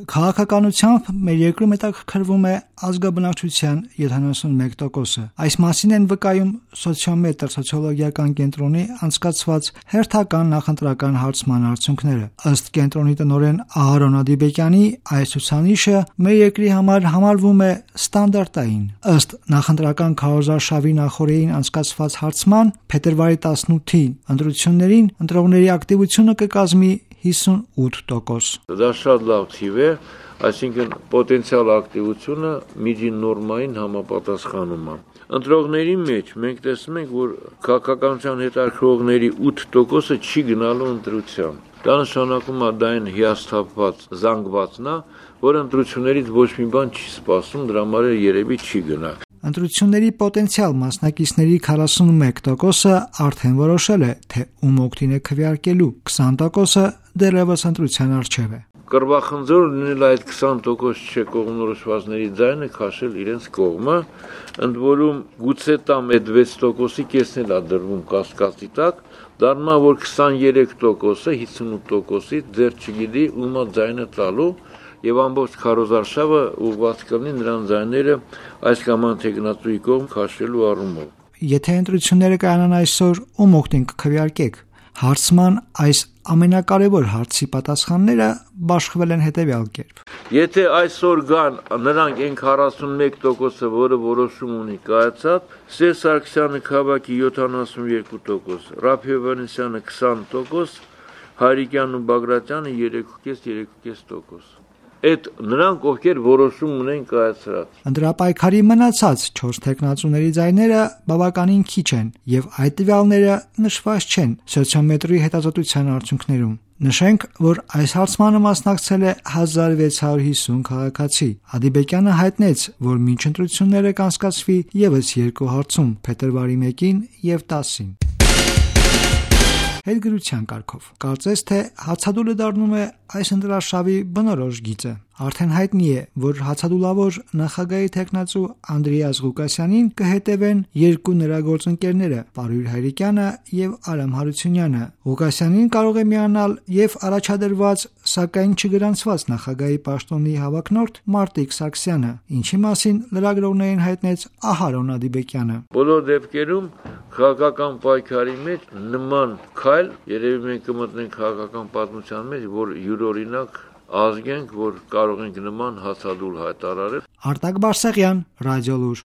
Քաղաքականությամբ մեր երկրում հետաքրքրվում է ազգաբնակչության 71%-ը։ Այս մասին են վկայում Սոցիոմետր սոցիոլոգիական կենտրոնի անցկացված հերթական նախընտրական հարցման արդյունքները։ Ըստ կենտրոնի տնօրեն Ահարոն Ադիբեկյանի, այս ցուցանիշը մեր երկրի համար համարվում է ստանդարտային։ Ըստ նախընտրական քարոզարշավի նախօրեին անցկացված հարցման, փետրվարի 18-ի ընտրություններին ընտրողների ակտիվությունը կկազմի 58%։ Դա շատ լավ թիվ է, այսինքն պոտենցիալ ակտիվությունը միջին նորմային համապատասխանում է։ Ընտրողների մեջ մենք տեսնում ենք, որ քաղաքականության հետաքրքրողների 8%-ը չի գնալու ընտրության։ Դա նշանակում է դա այն հիասթափված զանգվածն է, որ ընտրություններից ոչ մի բան չի սպասում, դրա համար երևի չի գնա։ Ընտրությունների պոտենցիալ մասնակիցների 41%-ը արդեն որոշել է, թե ում օգտին է քվեարկելու, 20%-ը դեռևս ընտրության առջև է։ Կռվախնձոր լինել այդ 20% չէ կողմնորոշվածների ձայնը քաշել իրենց կողմը, ընդ որում գուցե տամ այդ 6%-ի կեսն էլ է դրվում կասկածի տակ, դառնա որ 23%-ը 58%-ից դեռ չգիտի ում է ձայնը տալու, եւ ամբողջ քարոզարշավը ուղղված կլինի նրան ձայները այս կամ այն թեկնածուի կողմ քաշելու առումով։ Եթե ընտրությունները կայանան այսօր, ում օգտին կքվեարկեք։ Հարցման այս ամենակարևոր հարցի պատասխանները բաշխվել են հետևյալ կերպ։ Եթե այսօր գան նրանք այն 41%-ը, որը որոշում ունի կայացած, Սերժ Սարգսյանը քաղաքի 72%, Ռաֆֆի Հովհաննիսյանը 20%, Հայրիկյանն ու Բագրատյանը 3.5%։ Այդ նրանք, ովքեր որոշում ունեն կայացրած։ Ընտրապայքարի մնացած 4 թեկնածուների ձայները բավականին քիչ են, եւ այդ տվյալները նշված չեն Սոցիոմետրի հետազոտության արդյունքներում։ Նշենք, որ այս հարցմանը մասնակցել է 1650 քաղաքացի։ Ադիբեկյանը հայտնեց, որ մինչ ընտրությունները կանցկացվի եւս 2 հարցում՝ փետրվարի 1-ին եւ 10-ին։ Հետգրության կարգով։ Կարծես թե հացադուլը դառնում է այս ընտրարշավի բնորոշ գիծը։ Արդեն հայտնի է, որ հացադուլավոր նախագահի թեկնածու Անդրեաս Ղուկասյանին կհետևեն երկու նրա գործընկերները՝ Պարույր Հայրիկյանը եւ Արամ Հարությունյանը։ Ղուկասյանին կարող է միանալ եւ առաջադրված, սակայն չգրանցված նախագահի պաշտոնի հավակնորդ Մարտիկ Սարգսյանը, ինչի մասին լրագրողներին հայտնեց Ահարոն Ադիբեկյանը։ Բոլոր դեպքերում քաղաքական պայքարի մեջ նման քայլ երևի մենք կմտնենք քաղաքական պատմության մեջ, որ յուրօրինակ ազգենք, որ կարող ենք նման հացադուլ հայտարարել։ Արտակ Բարսեղյան, Ռադիոլուր։